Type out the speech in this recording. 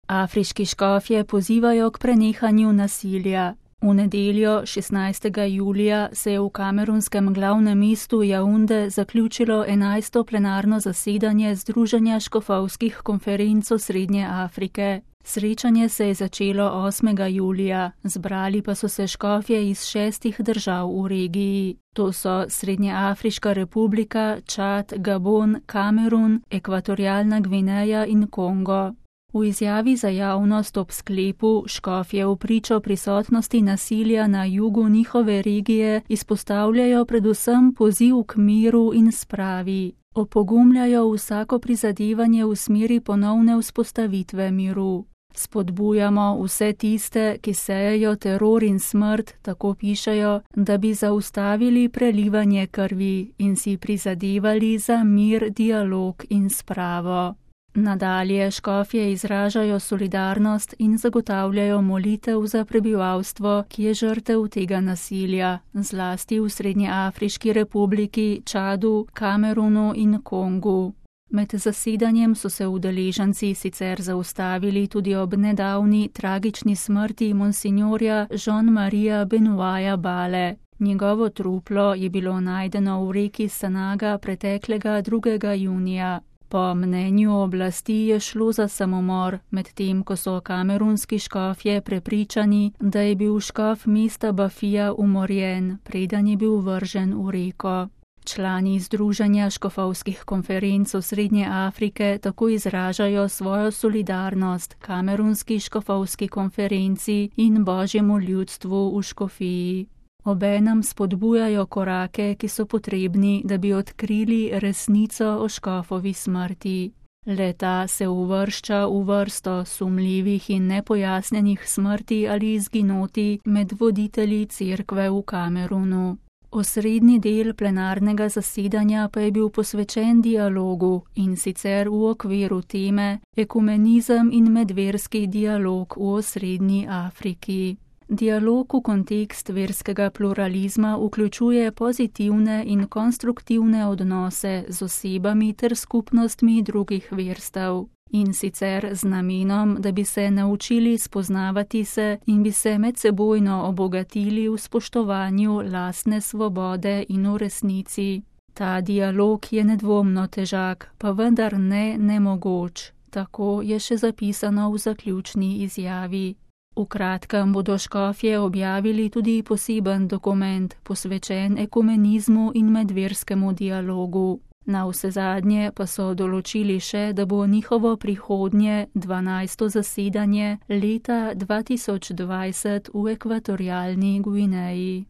Afriški škofje pozivajo k prenehanju nasilja. V nedeljo 16. julija se je v kamerunskem glavnem mestu Jaunde zaključilo 11. plenarno zasedanje Združenja škofovskih konferenc Srednje Afrike. Srečanje se je začelo 8. julija, zbrali pa so se škofje iz 6 držav v regiji. To so Srednjeafriška republika, Čad, Gabon, Kamerun, Ekvatorialna Gvineja in Kongo. V izjavi za javnost ob sklepu škofje v pričo prisotnosti nasilja na jugu njihove regije izpostavljajo predvsem poziv k miru in spravi. Opogumljajo vsako prizadevanje v smeri ponovne vzpostavitve miru. Spodbujamo vse tiste, ki sejejo teror in smrt, tako pišejo, da bi zaustavili prelivanje krvi in si prizadevali za mir, dialog in spravo. Nadalje škofje izražajo solidarnost in zagotavljajo molitev za prebivalstvo, ki je žrtev tega nasilja, zlasti v Srednjeafriški republiki, Čadu, Kamerunu in Kongu. Med zasedanjem so se udeleženci sicer zaustavili tudi ob nedavni tragični smrti monsinjorja Jean-Maria Benoita Bale. Njegovo truplo je bilo najdeno v reki Sanaga preteklega 2. junija. Po mnenju oblasti je šlo za samomor, medtem ko so kamerunski škofje prepričani, da je bil škof mesta Bafija umorjen, preden je bil vržen v reko. Člani Združenja škofovskih konferenc Srednje Afrike tako izražajo svojo solidarnost kamerunski škofovski konferenci in božjemu ljudstvu v škofiji. Obenem spodbujajo korake, ki so potrebni, da bi odkrili resnico o škofovi smrti. Le-ta se uvršča v vrsto sumljivih in nepojasnjenih smrti ali izginoti med voditelji cerkve v Kamerunu. Osrednji del plenarnega zasedanja pa je bil posvečen dialogu, in sicer v okviru teme Ekumenizem in medverski dialog v Osrednji Afriki. Dialog v kontekst verskega pluralizma vključuje pozitivne in konstruktivne odnose z osebami ter skupnostmi drugih verstev. In sicer z namenom, da bi se naučili spoznavati se in bi se medsebojno obogatili v spoštovanju lastne svobode in v resnici. Ta dialog je nedvomno težak, pa vendar ne nemogoč. Tako je še zapisano v zaključni izjavi. V kratkem bodo škofje objavili tudi poseben dokument, posvečen ekumenizmu in medverskemu dialogu. Navsezadnje pa so določili še, da bo njihovo prihodnje 12. zasedanje leta 2020 v Ekvatorialni Gvineji.